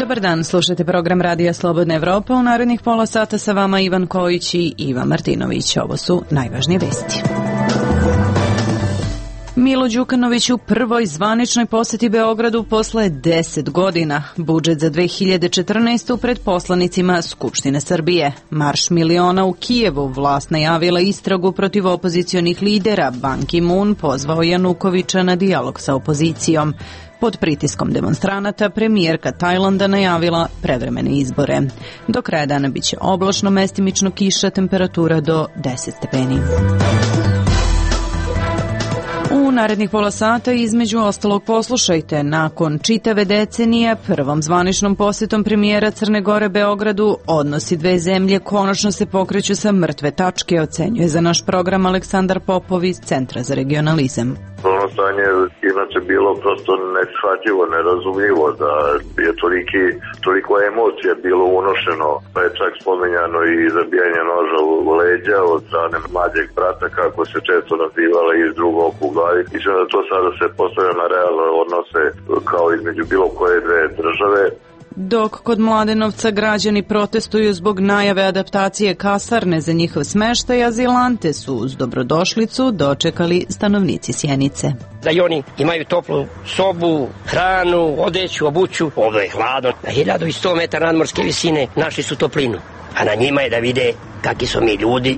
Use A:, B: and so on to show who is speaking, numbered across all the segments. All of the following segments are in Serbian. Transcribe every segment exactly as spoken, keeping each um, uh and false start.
A: Dobar dan, slušajte program Radija Slobodna Evropa. U narednih pola sata sa vama Ivan Kojić i Iva Martinović. Ovo su najvažnije vesti. Milo Đukanović u prvoj zvaničnoj poseti Beogradu posle deset godina. Budžet za dve hiljade četrnaestu pred poslanicima Skupštine Srbije. Marš miliona u Kijevu. Vlast najavila istragu protiv opozicionih lidera. Ban Ki-moon pozvao Janukovića na dijalog sa opozicijom. Pod pritiskom demonstranata premijerka Tajlanda najavila prevremene izbore. Do kraja dana biće oblačno, mestimično kiša, temperatura do deset stepeni. U narednih pola sata između ostalog poslušajte. Nakon čitave decenije, prvom zvaničnom posjetom premijera Crne Gore Beogradu, odnosi dve zemlje konačno se pokreću sa mrtve tačke, ocenjuje za naš program Aleksandar Popov iz Centra za regionalizam.
B: Ono stanje inače bilo prosto neshvatljivo, nerazumljivo, da je toliki, toliko emocija bilo unošeno, pa je čak spomenjano i zabijanje noža u leđa od strane mlađeg brata, kako se često nazivala, iz drugog u glavi. Mislim da to sada se postavlja na realne odnose kao između bilo koje dve države.
A: Dok kod Mladenovca građani protestuju zbog najave adaptacije kasarne za njihov smeštaj, azilante su uz dobrodošlicu dočekali stanovnici Sjenice.
C: Da i oni imaju toplu sobu, hranu, odeću, obuću. Ovdje je hladno. Na hiljadu sto metara nadmorske visine našli su toplinu. A na njima je da vide kakvi su mi ljudi.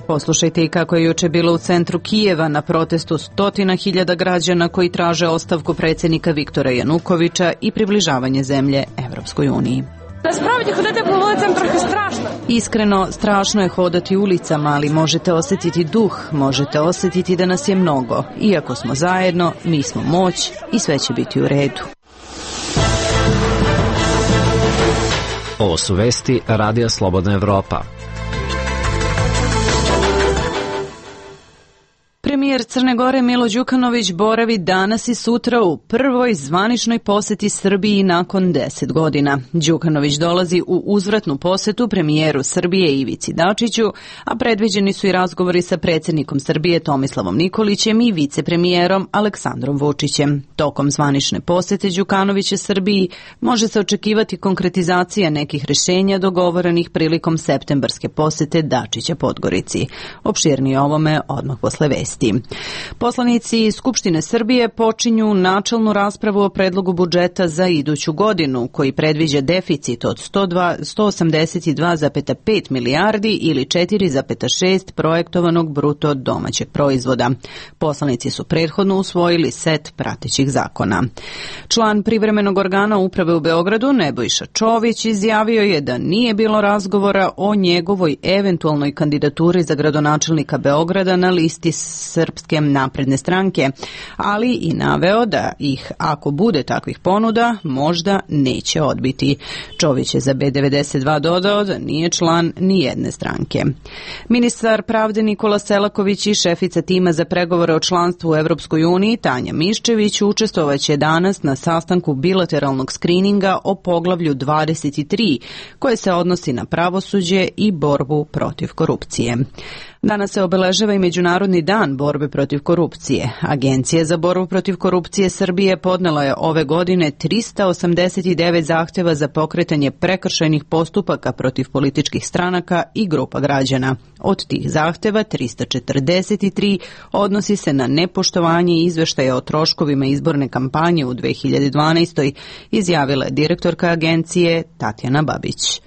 A: Poslušajte i kako je juče bilo u centru Kijeva na protestu stotina hiljada građana koji traže ostavku predsjednika Viktora Janukovića i približavanje zemlje Evropskoj uniji.
D: Насправді ходити по вулицям трохи страшно.
A: Iskreno, strašno je hodati ulicama, ali možete osjetiti duh, možete osjetiti da nas je mnogo. Iako smo zajedno, mi smo moć i sve će biti u redu.
E: Ovo su vesti Radija Slobodna Evropa.
A: Premijer Crne Gore Milo Đukanović boravi danas i sutra u prvoj zvaničnoj poseti Srbiji nakon deset godina. Đukanović dolazi u uzvratnu posetu premijeru Srbije Ivici Dačiću, a predviđeni su i razgovori sa predsjednikom Srbije Tomislavom Nikolićem i vicepremijerom Aleksandrom Vučićem. Tokom zvanične posete Đukanovića Srbiji može se očekivati konkretizacija nekih rješenja dogovorenih prilikom septembarske posete Dačića Podgorici. Opširnije ovome odmah posle vesti. Poslanici Skupštine Srbije počinju načelnu raspravu o predlogu budžeta za iduću godinu, koji predviđa deficit od sto osamdeset dva zarez pet milijardi ili četiri zarez šest projektovanog bruto domaćeg proizvoda. Poslanici su prethodno usvojili set pratećih zakona. Član privremenog organa uprave u Beogradu, Nebojša Čović, izjavio je da nije bilo razgovora o njegovoj eventualnoj kandidaturi za gradonačelnika Beograda na listi Srpske napredne stranke, ali i naveo da ih, ako bude takvih ponuda, možda neće odbiti. Čović je za B devedeset dva dodao da nije član ni jedne stranke. Ministar pravde Nikola Selaković i šefica tima za pregovore o članstvu u Evropskoj uniji Tanja Miščević učestvovaće danas na sastanku bilateralnog skrininga o poglavlju dvadeset tri, koje se odnosi na pravosuđe i borbu protiv korupcije. Danas se obeležava i Međunarodni dan borbe protiv korupcije. Agencija za borbu protiv korupcije Srbije podnela je ove godine trista osamdeset devet zahtjeva za pokretanje prekršajnih postupaka protiv političkih stranaka i grupa građana. Od tih zahtjeva trista četrdeset tri odnosi se na nepoštovanje izveštaja o troškovima izborne kampanje u dve hiljade dvanaestoj, izjavila je direktorka agencije Tatjana Babić.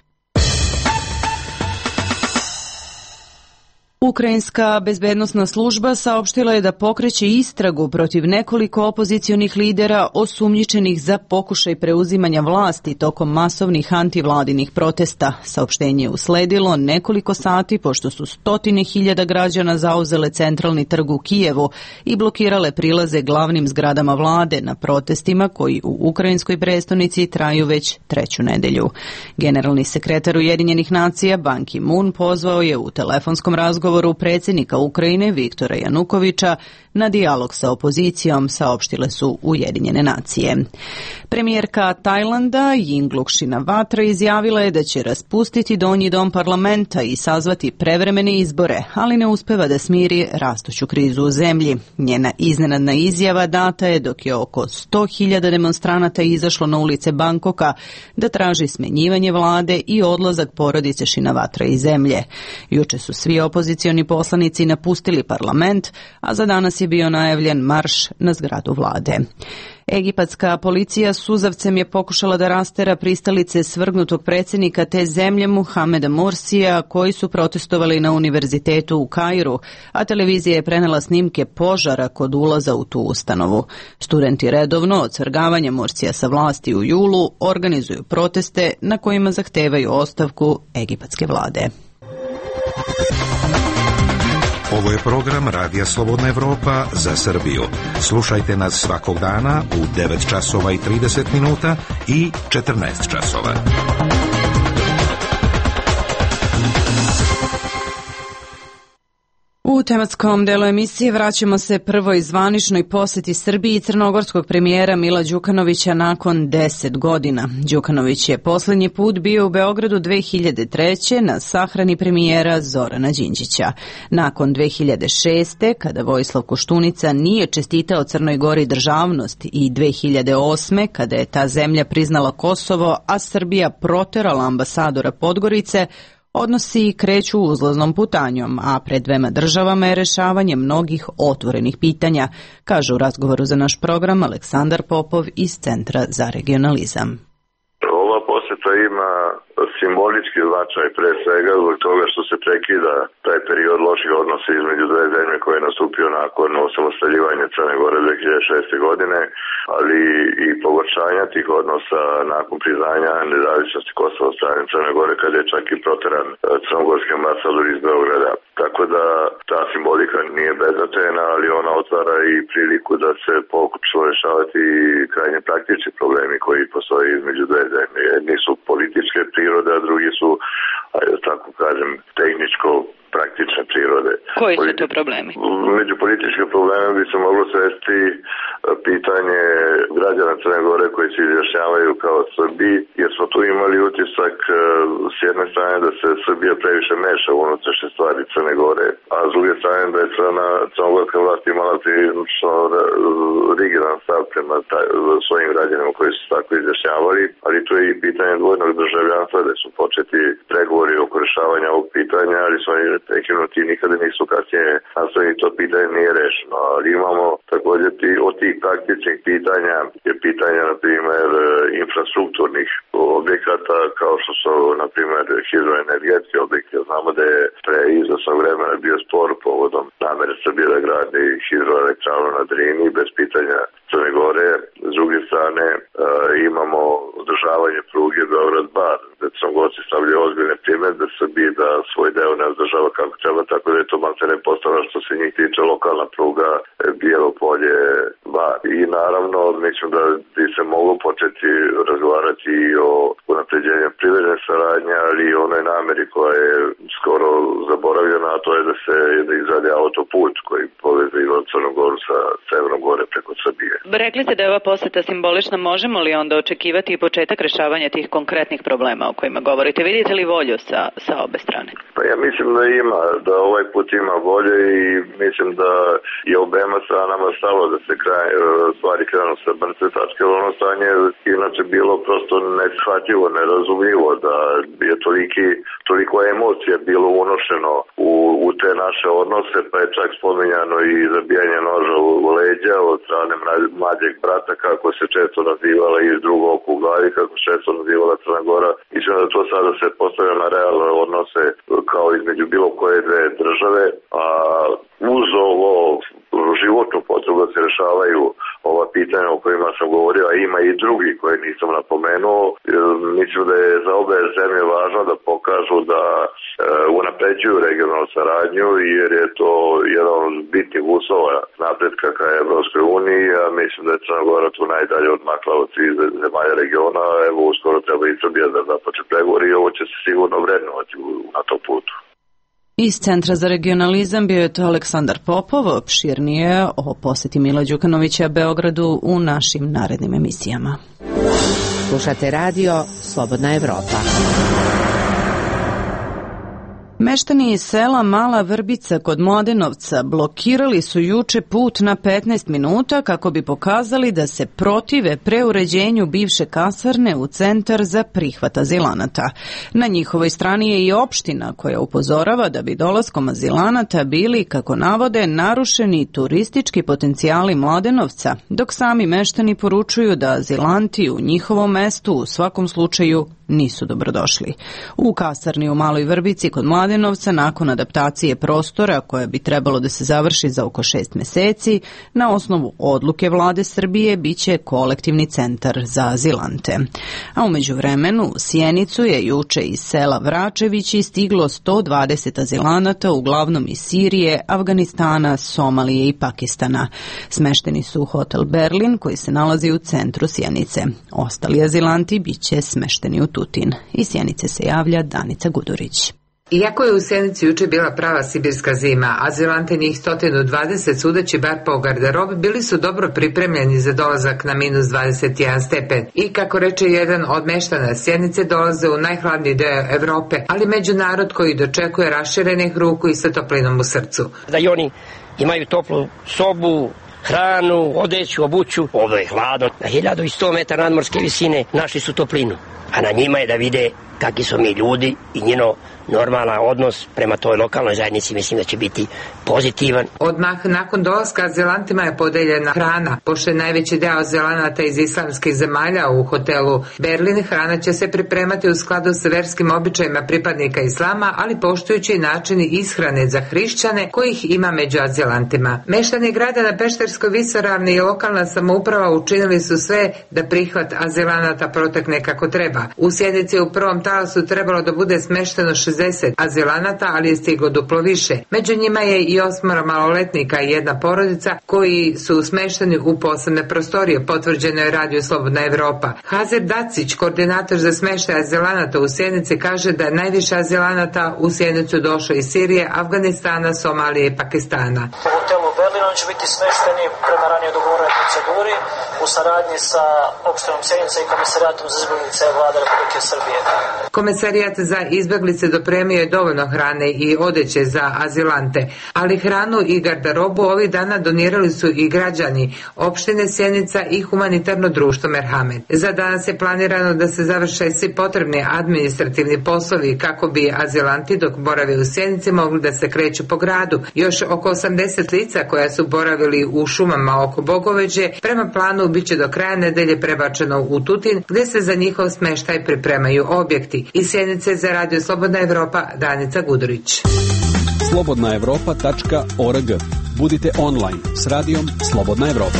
A: Ukrajinska bezbednosna služba saopštila je da pokreće istragu protiv nekoliko opozicionih lidera osumnjičenih za pokušaj preuzimanja vlasti tokom masovnih antivladinih protesta. Saopštenje je usledilo nekoliko sati pošto su stotine hiljada građana zauzele centralni trg u Kijevu i blokirale prilaze glavnim zgradama vlade na protestima koji u ukrajinskoj prestonici traju već treću nedelju. Generalni sekretar Ujedinjenih nacija Ban Ki-moon pozvao je u telefonskom razgovoru odgovoru predsjednika Ukrajine Viktora Janukovića na dijalog sa opozicijom, saopštile su Ujedinjene nacije. Premijerka Tajlanda Yingluck Shinawatra izjavila je da će raspustiti donji dom parlamenta i sazvati prevremene izbore, ali ne uspeva da smiri rastuću krizu u zemlji. Njena iznenadna izjava data je dok je oko sto hiljada demonstranata izašlo na ulice Bangkoka da traži smenjivanje vlade i odlazak porodice Shinawatra iz zemlje. Juče su svi opozicioni poslanici napustili parlament, a za danas je bio najavljen marš na zgradu vlade. Egipatska policija suzavcem je pokušala da rastera pristalice svrgnutog predsjednika te zemlje Muhameda Mursija koji su protestovali na univerzitetu u Kairu, a televizija je prenela snimke požara kod ulaza u tu ustanovu. Studenti redovno od svrgavanja Mursija sa vlasti u julu organizuju proteste na kojima zahtevaju ostavku egipatske vlade.
F: Ovo je program Radija Slobodna Evropa za Srbiju. Slušajte nas svakog dana u devet časova i trideset minuta i četrnaest časova.
A: U tematskom delu emisije vraćamo se prvoj zvaničnoj posjeti Srbiji crnogorskog premijera Mila Đukanovića nakon deset godina. Đukanović je posljednji put bio u Beogradu dve hiljade treće na sahrani premijera Zorana Đinđića. Nakon dve hiljade šeste. kada Vojislav Koštunica nije čestitao Crnoj Gori državnost i dve hiljade osme. kada je ta zemlja priznala Kosovo, a Srbija proterala ambasadora Podgorice, odnosi kreću uzlaznom putanjom, a pred dvema državama je rešavanje mnogih otvorenih pitanja, kaže u razgovoru za naš program Aleksandar Popov iz Centra za regionalizam.
B: Ova posjeta ima simbolički značaj pre svega zbog toga što se prekida taj period loših odnosa između dve zemlje koje je nastupio nakon osamostaljivanja Crne Gore dve hiljade šeste. godine, ali i pogoršanja tih odnosa nakon priznanja nezavisnosti Kosova od strane Crne Gore kada je čak i proteran crnogorski ambasador iz Beograda. Tako da ta simbolika nije beznačajna, ali ona otvara i priliku da se pokuša rešavati krajnje praktični problemi koji postoje između dve zemlje. Jedni su političke prirode, a drugi su, ajde tako kažem, tehničko praktične prirode.
A: Koji su to problemi?
B: Među političke probleme bi se moglo svesti pitanje građana Crne Gore koji se izjašnjavaju kao Srbi, jer smo tu imali utisak s jedne strane da se Srbija previše meša u unutrašnje stvari Crne Gore, a s druge strane da je Crna, crnogorska vlast imala prilično rigidan stav prema taj, svojim građanima koji su tako izjašnjavali, ali tu je i pitanje dvojnog državljanstva gde su početi pregovori oko rešavanja ovog pitanja, ali su oni prekinuti nikada nisu kasnije nastavili, to pitanje nije rešeno. Ali imamo također ti, od tih praktičnih pitanja je pitanja, na primjer, infrastrukturnih objekata, kao što su, na primjer, hidroenergetski objekti. Znamo da je pre izvesnog vremena bio spor povodom namere Srbije da gradi hidroelektranu na Drini bez pitanja Crne Gore. S druge strane, e, imamo održavanje pruge Beograd-Bar, gde Crnogorci stavljaju ozbiljne primedbe Srbiji da svoj deo ne održava kako treba, tako da je to maltene postavljeno što se njih tiče lokalna pruga Bijelo Polje-Bar. I naravno, mislim da bi se moglo početi razgovarati i o unapređenju privredne saradnje, ali i onoj nameri koja je skoro zaboravljena, a to je da se da izradi autoput koji povezuje Crnu Goru sa Severnom Gore preko Srbije.
A: Rekli ste da je ova poseta simbolična, možemo li onda očekivati i početak rešavanja tih konkretnih problema o kojima govorite? Vidite li volju sa, sa obe strane?
B: Pa ja mislim da ima, da ovaj put ima volje i mislim da je obema stranama stalo da se kraj, stvari krenu sa mrtve tačke, ono stanje inače bilo prosto neshvatljivo, nerazumljivo, da je toliki, toliko emocija bilo unošeno u, u te naše odnose, pa je čak spominjano i zabijanje noža u leđa od strane mlađeg brata, kako se često nazivala, iz drugog oka u glavi, kako se često nazivala Crna Gora. Mislim da to sada se postavlja na realne odnose kao između bilo koje dve države, a uz ovo životnu potrebu da se rešavaju ova pitanja o kojima sam govorio, a ima i drugi koje nisam napomenuo. Mislim da je za obe zemlje važno da pokažu da e, unapređuju regionalnu saradnju, jer je to jedan od bitnih uslova napretka ka Evropskoj uniji, a mislim da je Crna Gora tu najdalje odmakla od svih zemalja regiona. Evo, uskoro treba i Srbija da započe pregovori i ovo će se sigurno vrednovati na tom putu.
A: Iz Centra za regionalizam bio je to Aleksandar Popov, opširnije o poseti Mila Đukanovića Beogradu u našim narednim emisijama.
G: Slušate radio Slobodna Evropa.
A: Meštani iz sela Mala Vrbica kod Mladenovca blokirali su juče put na petnaest minuta kako bi pokazali da se protive preuređenju bivše kasarne u centar za prihvat azilanata. Na njihovoj strani je i opština koja upozorava da bi dolaskom azilanata bili, kako navode, narušeni turistički potencijali Mladenovca, dok sami meštani poručuju da azilanti u njihovom mestu u svakom slučaju nisu dobrodošli. U kasarni u Maloj Vrbici kod Mladenovca nakon adaptacije prostora koja bi trebalo da se završi za oko šest meseci, na osnovu odluke vlade Srbije biće kolektivni centar za azilante. A umeđu vremenu u Sjenicu je juče iz sela Vračevići stiglo sto dvadeset azilanata, uglavnom iz Sirije, Afganistana, Somalije i Pakistana. Smešteni su u hotel Berlin koji se nalazi u centru Sjenice. Ostali azilanti biće smešteni u Tutin. Iz Sjenice se javlja Danica Gudurić.
H: Iako je u Sjenici juče bila prava sibirska zima, azilante njih sto dvadeset, sudeći bar po garderobi, bili su dobro pripremljeni za dolazak na minus dvadeset jedan stepen. I kako reče jedan od meštana Sjenice, dolaze u najhladniji deo Evrope, ali među narod koji dočekuje raširenih ruku i sa toplinom u srcu.
C: Da i oni imaju toplu sobu, hranu, odeću, obuću. Ovo je hladno. Na hiljadu i sto metara nadmorske visine našli su toplinu. A na njima je da vide kakvi smo mi ljudi i njeno normalan odnos prema toj lokalnoj zajednici, mislim da će biti pozitivan.
H: Odmah nakon dolaska azilantima je podeljena hrana. Pošto je najveći deo azilanata iz islamskih zemalja u hotelu Berlin, hrana će se pripremati u skladu sa verskim običajima pripadnika islama, ali poštujući načini ishrane za hrišćane kojih ima među azilantima. Meštani grada na Pešterskoj visoravni i lokalna samouprava učinili su sve da prihvat azilanata protekne kako treba. U Sjenici u prvom talasu trebalo da bude smešteno šezdeset azilanata, ali je stiglo duplo više. Među njima je i osmoro maloletnika i jedna porodica koji su smešteni u posebne prostorije, potvrđeno je Radio Slobodna Evropa. Hazir Dacić, koordinator za smeštaj azilanata u Sjenici, kaže da je najviše azilanata u Sjenicu došlo iz Sirije, Afganistana, Somalije i Pakistana.
I: U hotelu Berlin će biti smešteni prema ranije dogovorenoj proceduri u saradnji sa opštinom Sjenica i Komisarijatom za izbeglice Vlade Republike Srbije.
H: Komisarijat za izbeglice dopremio je dovoljno hrane i odeće za azilante, ali hranu i garderobu ovih dana donirali su i građani opštine Sjenica i humanitarno društvo Merhamet. Za danas je planirano da se završe svi potrebni administrativni poslovi kako bi azilanti dok borave u Sjenici mogli da se kreću po gradu. Još oko osamdeset lica koja su boravili u šumama oko Bogoveđe prema planu biće do kraja nedelje prebačeno u Tutin, gde se za njihov smeštaj pripremaju objekti. Iz Sjenice za Radio Slobodna Evropa, Danica Gudurić.
J: slobodna evropa tačka org. Budite online s radijom Slobodna Evropa.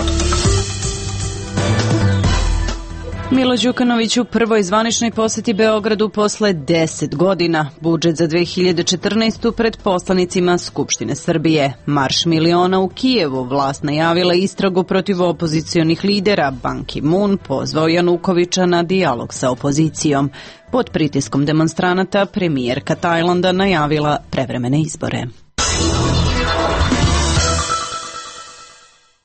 A: Milo Đukanović u prvoj zvaničnoj poseti Beogradu posle deset godina. Budžet za dve hiljade četrnaestu pred poslanicima Skupštine Srbije. Marš miliona u Kijevu. Vlast najavila istragu protiv opozicionih lidera. Ban Ki-moon pozvao Janukovića na dijalog sa opozicijom. Pod pritiskom demonstranata premijerka Tajlanda najavila prevremene izbore.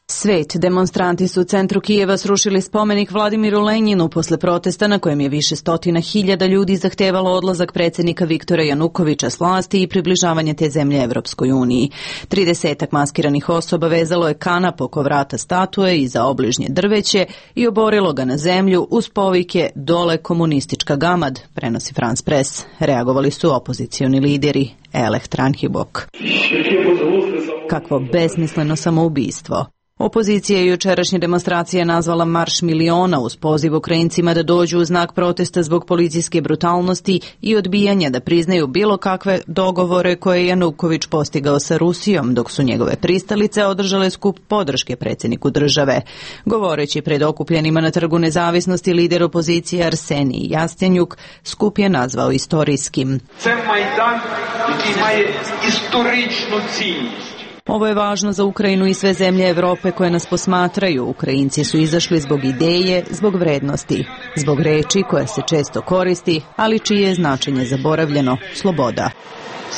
A: Svet. Demonstranti su u centru Kijeva srušili spomenik Vladimiru Lenjinu posle protesta na kojem je više stotina hiljada ljudi zahtevalo odlazak predsjednika Viktora Janukovića s vlasti i približavanje te zemlje Evropskoj uniji. Tridesetak maskiranih osoba vezalo je kanap oko vrata statue i za obližnje drveće i oborilo ga na zemlju uz povike "Dole komunistička gamad", prenosi France Press. Reagovali su opozicioni lideri. Eleh Tranhibok. Kakvo besmisleno samoubistvo. Opozicija je jučerašnje demonstracije nazvala Marš miliona uz poziv Ukrajincima da dođu u znak protesta zbog policijske brutalnosti i odbijanja da priznaju bilo kakve dogovore koje je Januković postigao sa Rusijom, dok su njegove pristalice održale skup podrške predsjedniku države. Govoreći pred okupljenima na Trgu nezavisnosti, lider opozicije Arsenij Jastjenjuk skup je nazvao istorijskim.
K: Це Майдан, який має історичну цінність.
A: Ovo je važno za Ukrajinu i sve zemlje Evrope koje nas posmatraju. Ukrajinci su izašli zbog ideje, zbog vrednosti, zbog reči koja se često koristi, ali čije je značenje zaboravljeno – sloboda.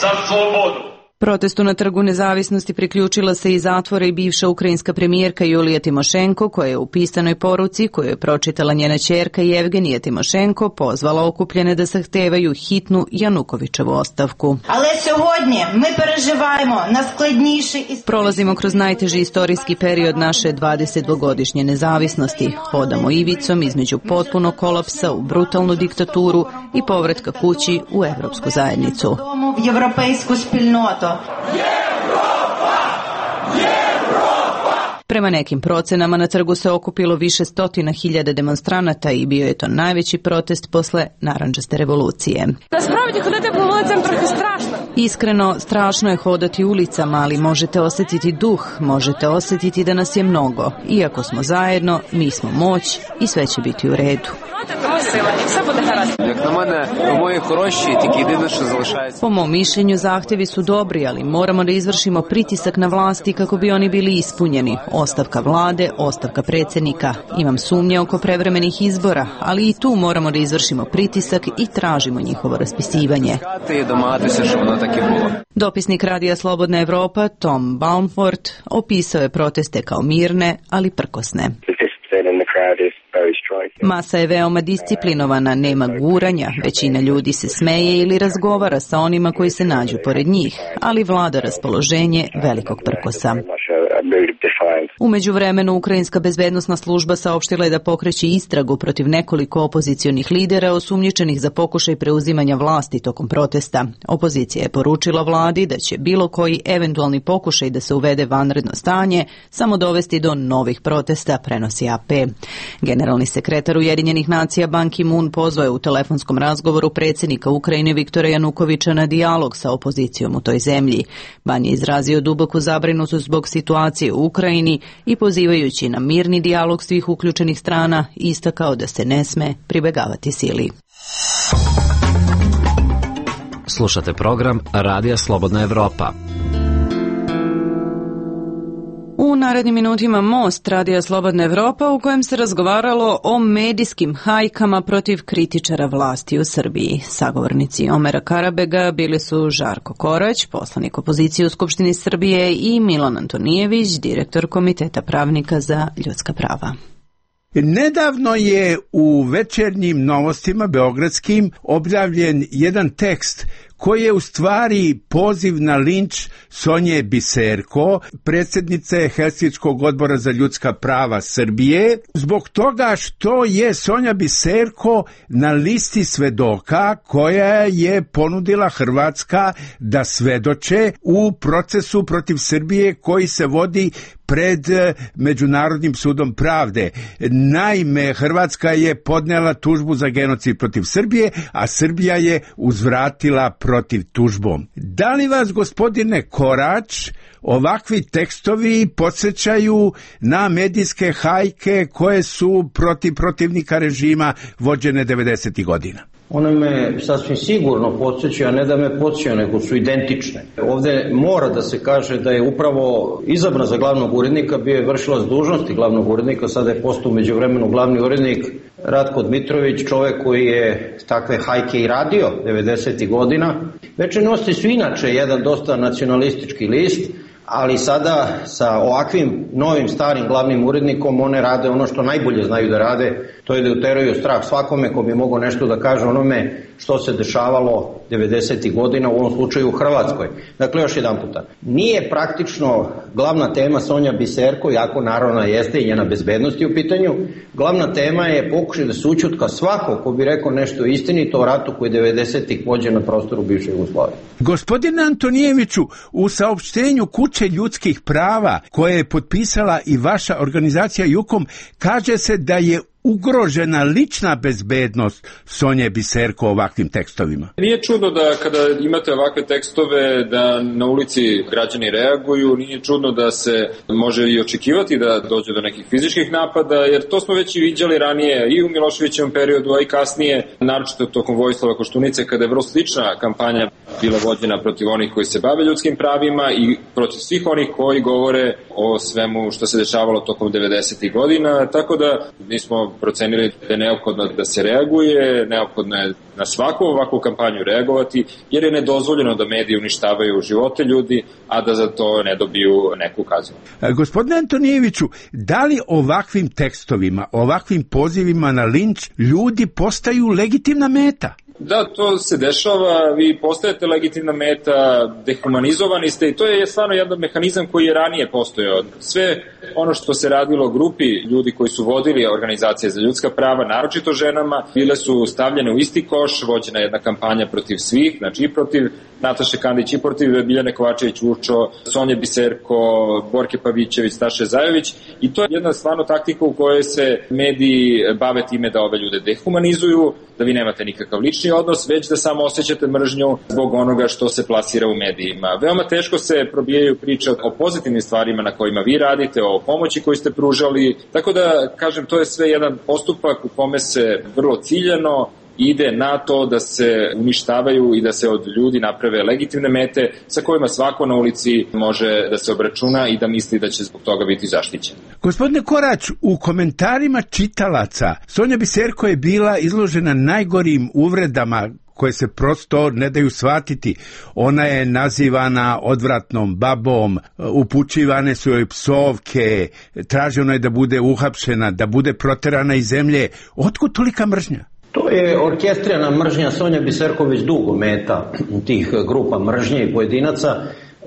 K: za slobodu.
A: Protestu na Trgu nezavisnosti priključila se i zatvora i bivša ukrajinska premijerka Julija Timošenko, koja je u pisanoj poruci, koju je pročitala njena ćerka Jevgenija Timošenko, pozvala okupljene da zahtevaju hitnu Janukovićevu ostavku.
L: Ale sьогодні ми переживаємо najskladnіші і
A: Prolazimo kroz najteži istorijski period naše dvadesetdvogodišnje nezavisnosti. Hodamo ivicom između potpunog kolapsa u brutalnu diktaturu i povratka kući u evropsku zajednicu.
L: в європейську спільноту.
A: Prema nekim procenama na trgu se okupilo više stotina hiljada demonstranata i bio je to najveći protest posle narandžaste revolucije.
D: Насправді ходити по вулицям трохи страшно.
A: Iskreno, strašno je hodati ulicama, ali možete osjetiti duh, možete osjetiti da nas je mnogo. Iako smo zajedno, mi smo moć i sve će biti u redu. Po mom mišljenju zahtjevi su dobri, ali moramo da izvršimo pritisak na vlasti kako bi oni bili ispunjeni. Ostavka vlade, ostavka predsjednika. Imam sumnje oko prevremenih izbora, ali i tu moramo da izvršimo pritisak i tražimo njihovo raspisivanje. Dopisnik Radija Slobodna Evropa Tom Baumfort opisao je proteste kao mirne, ali prkosne. Masa je veoma disciplinovana, nema guranja, većina ljudi se smeje ili razgovara sa onima koji se nađu pored njih, ali vlada raspoloženje velikog prkosa. U međuvremenu, Ukrajinska bezbednosna služba saopštila je da pokreće istragu protiv nekoliko opozicionih lidera osumnjičenih za pokušaj preuzimanja vlasti tokom protesta. Opozicija je poručila vladi da će bilo koji eventualni pokušaj da se uvede vanredno stanje samo dovesti do novih protesta, prenosi A P. Generalni sekretar Ujedinjenih nacija Ban Ki-moon pozvao je u telefonskom razgovoru predsjednika Ukrajine Viktora Janukovića na dijalog sa opozicijom u toj zemlji. Ban je izrazio duboku zabrinutost zbog situacije u Ukrajini i pozivajući na mirni dijalog svih uključenih strana istakao da se ne sme pribegavati sili.
E: Slušate program Radija Slobodna Evropa.
A: U narednim minutima Most, Radija Slobodna Evropa, u kojem se razgovaralo o medijskim hajkama protiv kritičara vlasti u Srbiji. Sagovornici Omera Karabega bili su Žarko Korać, poslanik opozicije u Skupštini Srbije, i Milan Antonijević, direktor Komiteta pravnika za ljudska prava.
M: Nedavno je u večernjim novostima beogradskim objavljen jedan tekst koji je u stvari poziv na linč Sonje Biserko, predsjednice Helsinškog odbora za ljudska prava Srbije, zbog toga što je Sonja Biserko na listi svedoka koja je ponudila Hrvatska da svedoče u procesu protiv Srbije koji se vodi pred Međunarodnim sudom pravde. Naime, Hrvatska je podnela tužbu za genocid protiv Srbije, a Srbija je uzvratila protiv tužbom. Da li vas, gospodine Korać, ovakvi tekstovi podsjećaju na medijske hajke koje su protiv protivnika režima vođene devedesetih godina?
N: One me sasvim sigurno podsjećaju, a ne da me podsjećaju, nego su identične. Ovde mora da se kaže da je upravo izabran za glavnog urednika, bio je vršilac dužnosti glavnog urednika, sada je postao međuvremenu glavni urednik Ratko Dmitrović, čovek koji je takve hajke i radio devedesetih godina. Večernje novosti su inače jedan dosta nacionalistički list, ali sada sa ovakvim novim starim glavnim urednikom one rade ono što najbolje znaju da rade, to je da uteraju strah svakome ko bi mogao nešto da kaže onome što se dešavalo devedesetih godina, u ovom slučaju u Hrvatskoj. Dakle, još jedan puta, nije praktično glavna tema Sonja Biserko, jako naravno jeste i njena bezbednost je u pitanju, glavna tema je pokušaj da se ućutka svako ko bi rekao nešto istinito o ratu koji je devedesetih vođen na prostoru bivše Jugoslavije.
M: Gospodine Antonijeviću, u saopštenju Kuće ljudskih prava koje je potpisala i vaša organizacija Jukom, kaže se da je ugrožena lična bezbednost Sonje Biserko ovakvim tekstovima.
O: Nije čudno da kada imate ovakve tekstove da na ulici građani reaguju, nije čudno da se može i očekivati da dođe do nekih fizičkih napada, jer to smo već i viđali ranije i u Miloševićevom periodu, a i kasnije, naročito tokom Vojislava Koštunice, kada je vrlo slična kampanja bila vođena protiv onih koji se bave ljudskim pravima i protiv svih onih koji govore o svemu što se dešavalo tokom devedesetih godina, tako da mi smo procenili da je neophodno da se reaguje, neophodno je na svaku ovakvu kampanju reagovati, jer je nedozvoljeno da mediji uništavaju živote ljudi, a da za to ne dobiju neku kaznu.
M: Gospodine Antonijeviću, da li ovakvim tekstovima, ovakvim pozivima na linč ljudi postaju legitimna meta?
O: Da, to se dešava, vi postajete legitimna meta, dehumanizovani ste i to je stvarno jedan mehanizam koji je ranije postojao. Sve ono što se radilo grupi ljudi koji su vodili organizacije za ljudska prava, naročito ženama, bile su stavljene u isti koš, vođena jedna kampanja protiv svih, znači i protiv Nataše Kandić, i protiv Biljane Kovačević-Vučo, Sonje Biserko, Borke Pavićević, Staše Zajović, i to je jedna stvarno taktika u kojoj se mediji bave time da ove ljude dehumanizuju, da vi nemate nikakav lični odnos, već da samo osjećate mržnju zbog onoga što se plasira u medijima. Veoma teško se probijaju priče o pozitivnim stvarima na kojima vi radite, o pomoći koju ste pružali, tako da, kažem, to je sve jedan postupak u kome se vrlo ciljano ide na to da se uništavaju i da se od ljudi naprave legitimne mete sa kojima svako na ulici može da se obračuna i da misli da će zbog toga biti zaštićen.
M: Gospodine Korać, u komentarima čitalaca Sonja Biserko je bila izložena najgorim uvredama koje se prosto ne daju shvatiti. Ona je nazivana odvratnom babom, upućivane su joj psovke, traženo je da bude uhapšena, da bude proterana iz zemlje. Otkud tolika mržnja?
N: To je orkestrirana mržnja. Sonja Biserko već dugo meta tih grupa mržnje i pojedinaca,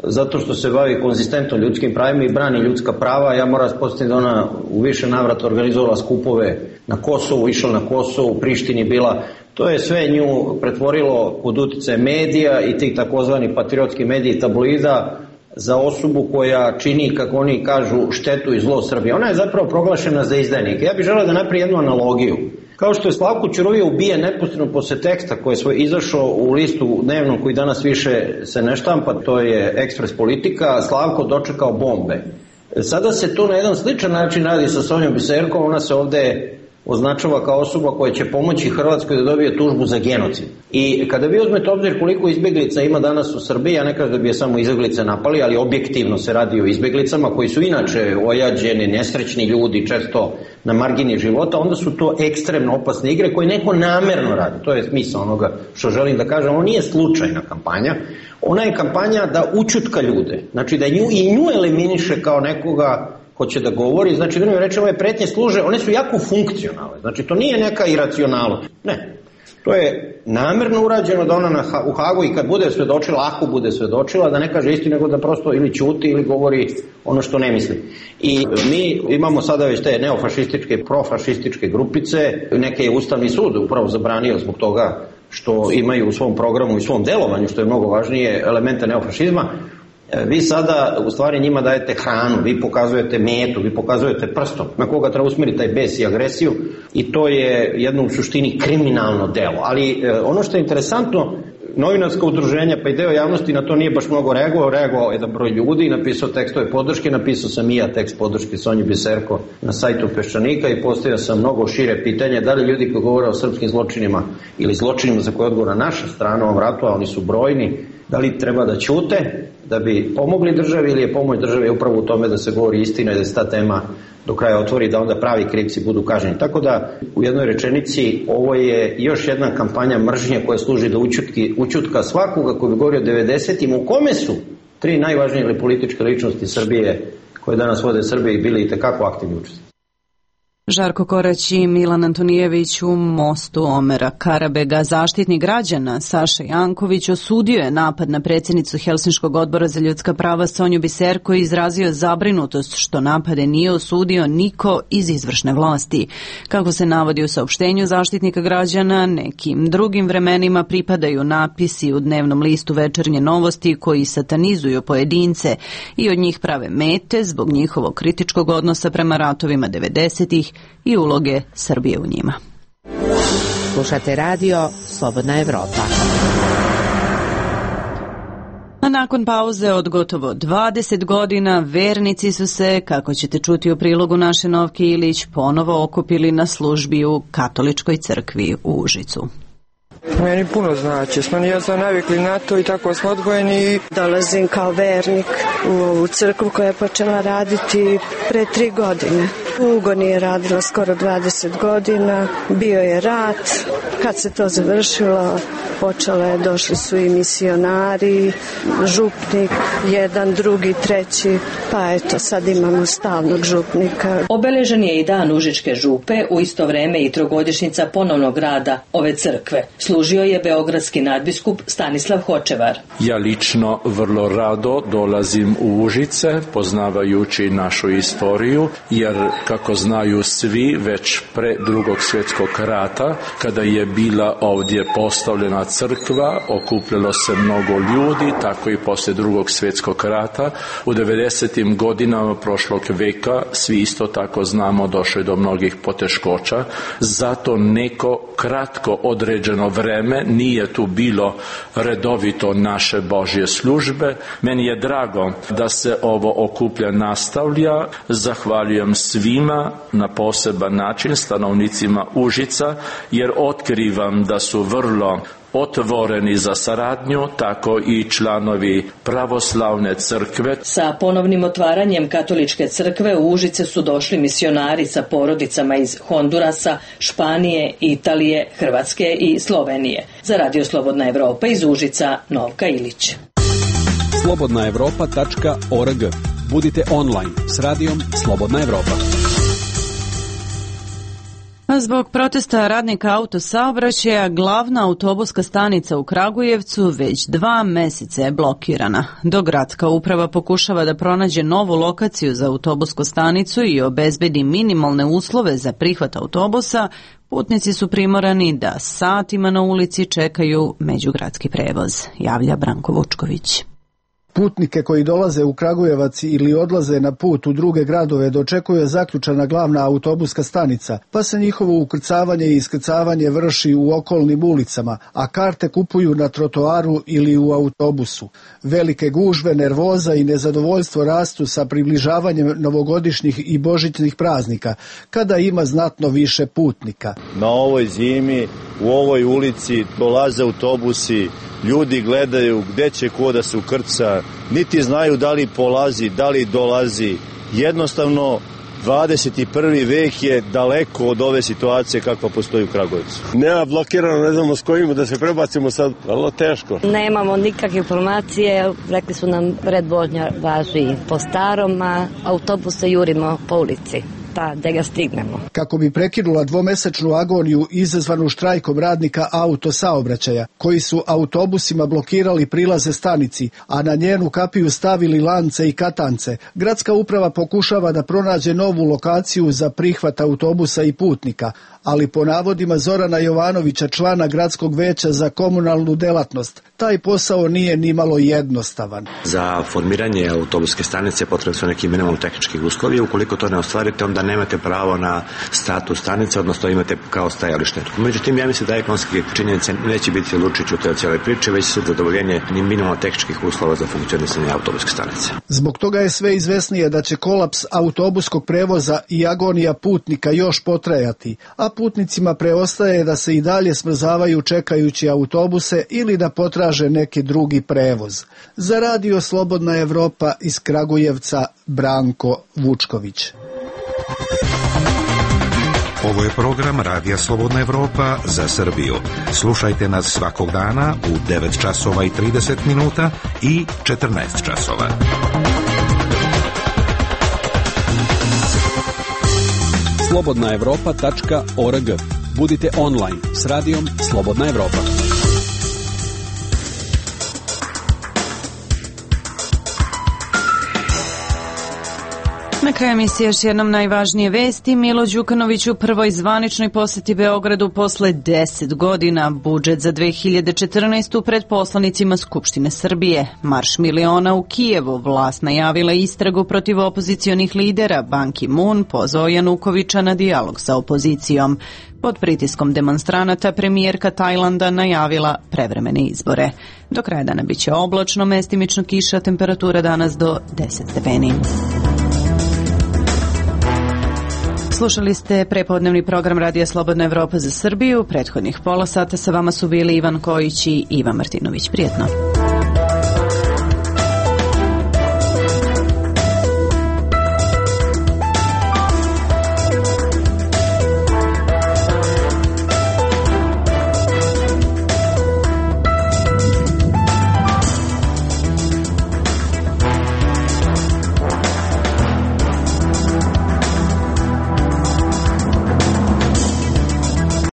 N: zato što se bavi konzistentno ljudskim pravima i brani ljudska prava. Ja moram spostaviti da ona u više navrata organizovala skupove na Kosovu, išla na Kosovu, u Prištini bila. To je sve nju pretvorilo pod uticaje medija i tih takozvani patriotski mediji tabloida za osobu koja čini, kako oni kažu, štetu i zlo Srbije. Ona je zapravo proglašena za izdajnika. Ja bih želeo da napravim jednu analogiju. Kao što je Slavko Ćuruvija ubijen neposredno posle teksta koji je svoj izašao u listu dnevnom koji danas više se ne štampa, to je Ekspres Politika, Slavko dočekao bombe. Sada se to na jedan sličan način radi sa Sonjom Biserkom, ona se ovde označava kao osoba koja će pomoći Hrvatskoj da dobije tužbu za genocid. I kada vi uzmete obzir koliko izbeglica ima danas u Srbiji, ja ne kažem da bi je samo izbeglice napali, ali objektivno se radi o izbeglicama koji su inače ojađeni, nesrećni ljudi, često na margini života, onda su to ekstremno opasne igre koje neko namerno radi. To je smisao onoga što želim da kažem. Ovo nije slučajna kampanja. Ona je kampanja da učutka ljude. Znači da nju, i nju eliminiše kao nekoga ko će da govori. Znači, da mi rečemo, ove pretnje služe, one su jako funkcionalne. Znači, to nije neka iracionalnost. Ne. To je namerno urađeno da ona na, u Hagu i kad bude svedočila, ako bude svedočila, da ne kaže istinu, nego da prosto ili ćuti ili govori ono što ne misli. I mi imamo sada već te neofašističke, profašističke grupice, neke je Ustavni sud upravo zabranio zbog toga što imaju u svom programu i svom delovanju, što je mnogo važnije, elemente neofašizma. Vi sada u stvari njima dajete hranu, vi pokazujete metu, vi pokazujete prstom na koga treba usmjeriti taj bes i agresiju i to je jedno u suštini kriminalno delo. Ali ono što je interesantno, novinarska udruženja pa i deo javnosti na to nije baš mnogo reagovao, reagovao jedan broj ljudi, napisao tekstove podrške, napisao sam i ja tekst podrške Sonji Biserko na sajtu Peščanika i postavio sam mnogo šire pitanje da li ljudi koji govore o srpskim zločinima ili zločinima za koje odgovora naša strana u ovom ratu, a oni su brojni, da li treba da ćute da bi pomogli državi ili je pomoć države upravo u tome da se govori istina i da se ta tema do kraja otvori, da onda pravi krivci budu kažnjeni. Tako da u jednoj rečenici ovo je još jedna kampanja mržnje koja služi da učutki, učutka svakoga koji bi govorio o devedesetim u kome su tri najvažnije političke ličnosti Srbije koje danas vode Srbije i bili i tekako aktivni učesnici.
A: Žarko Korać i Milan Antonijević u Mostu Omera Karabega. Zaštitnik građana Saša Janković osudio je napad na predsjednicu Helsinškog odbora za ljudska prava Sonju Biserko i izrazio zabrinutost što napade nije osudio niko iz izvršne vlasti. Kako se navodi u saopštenju Zaštitnika građana, nekim drugim vremenima pripadaju napisi u dnevnom listu Večernje novosti koji satanizuju pojedince i od njih prave mete zbog njihovog kritičkog odnosa prema ratovima devedesetih i uloge Srbije u njima.
G: Slušate radio Slobodna Evropa.
A: A nakon pauze od gotovo dvadeset godina, vernici su se, kako ćete čuti u prilogu naše Novke Ilić, ponovo okupili na službi u Katoličkoj crkvi u Užicu.
P: Meni puno znači, smo ja sam navikli na to i tako smo odgojeni.
Q: Dolazim kao vernik u ovu crkvu koja je počela raditi pre tri godine. U Ugoni je radila skoro dvadeset godina, bio je rat. Kad se to završilo, počelo je, došli su i misionari, župnik, jedan, drugi, treći, pa eto, sad imamo stalnog župnika.
R: Obeležen je i dan Užičke župe, u isto vreme i trogodišnjica ponovnog rada ove crkve. Služio je beogradski nadbiskup Stanislav Hočevar.
S: Ja lično vrlo rado dolazim u Užice, poznavajući našu istoriju, jer kako znaju svi, već pre drugog svjetskog rata, kada je bila ovdje postavljena crkva, okupljalo se mnogo ljudi, tako i posle drugog svjetskog rata. U devedesetim godinama prošlog veka svi isto tako znamo došli do mnogih poteškoća, zato neko kratko određeno vreme nije tu bilo redovito naše Božje službe. Meni je drago da se ovo okuplja nastavlja. Zahvaljujem svima na poseban način, stanovnicima Užica, jer otkrivam da su vrlo otvoreni za saradnju, tako i članovi pravoslavne crkve.
R: Sa ponovnim otvaranjem katoličke crkve u Užice su došli misionari sa porodicama iz Hondurasa, Španije, Italije, Hrvatske i Slovenije. Za Radio Slobodna Evropa iz Užica, Novka Ilić.
J: slobodna evropa tačka org. Budite online s radijom Slobodna Evropa.
A: Zbog protesta radnika autosaobraćaja, glavna autobuska stanica u Kragujevcu već dva meseca je blokirana. Dok gradska uprava pokušava da pronađe novu lokaciju za autobusku stanicu i obezbedi minimalne uslove za prihvat autobusa, putnici su primorani da satima na ulici čekaju međugradski prevoz, javlja Branko Vučković.
T: Putnike koji dolaze u Kragujevac ili odlaze na put u druge gradove dočekuje zaključana glavna autobuska stanica, pa se njihovo ukrcavanje i iskrcavanje vrši u okolnim ulicama, a karte kupuju na trotoaru ili u autobusu. Velike gužve, nervoza i nezadovoljstvo rastu sa približavanjem novogodišnjih i božićnih praznika, kada ima znatno više putnika.
U: Na ovoj zimi, u ovoj ulici dolaze autobusi, ljudi gledaju gde će ko da se ukrca, niti znaju da li polazi, da li dolazi. Jednostavno, dvadeset prvi vek je daleko od ove situacije kakva postoji u Kragujevcu.
V: Nema blokirano, ne znamo s kojim da se prebacimo sad, vrlo teško.
W: Nemamo nikakve informacije, rekli su nam red vožnja važi po starom, a autobuse jurimo po ulici. Pa da ga stignemo.
T: Kako bi prekinula dvomesečnu agoniju izazvanu štrajkom radnika autosaobraćaja, koji su autobusima blokirali prilaze stanici, a na njenu kapiju stavili lance i katance, gradska uprava pokušava da pronađe novu lokaciju za prihvat autobusa i putnika, ali po navodima Zorana Jovanovića, člana gradskog veća za komunalnu delatnost, taj posao nije ni malo jednostavan.
X: Za formiranje autobuske stanice potrebni su neki minimum tehničkih uslovi. Ukoliko to ne ostvarite, onda nemate pravo na status stanice, odnosno imate kao stajalište. Međutim, ja mislim da ekonomske činjenice neće biti lučić u toj cijeloj priči, već su zadovoljenje minimum tehničkih uslova za funkcionisanje autobuske stanice.
T: Zbog toga je sve izvesnije da će kolaps autobuskog prevoza i agonija putnika još potrajati, a putnicima preostaje da se i dalje smrzavaju čekajući autobuse ili da potraže neki drugi prevoz. Za Radio Slobodna Evropa iz Kragujevca, Branko Vučković.
F: Ovo je program Radija Slobodna Evropa za Srbiju. Slušajte nas svakog dana u devet časova i trideset minuta i četrnaest časova.
J: slobodna evropa tačka org. Budite online s radijom Slobodna Evropa.
A: Na kraju emisije još jednom najvažnije vesti. Milo Đukanović u prvoj zvaničnoj poseti Beogradu posle deset godina. Budžet za dve hiljade četrnaestu pred poslanicima Skupštine Srbije. Marš miliona u Kijevu. Vlast najavila istragu protiv opozicionih lidera. Ban Ki-moon pozvao Janukovića na dijalog sa opozicijom. Pod pritiskom demonstranata premijerka Tajlanda najavila prevremene izbore. Do kraja dana biće oblačno, mestimično kiša, temperatura danas do deset stepeni. Slušali ste prepodnevni program Radija Slobodna Evropa za Srbiju. Prethodnih pola sata sa vama su bili Ivan Kojić i Ivan Martinović. Prijetno.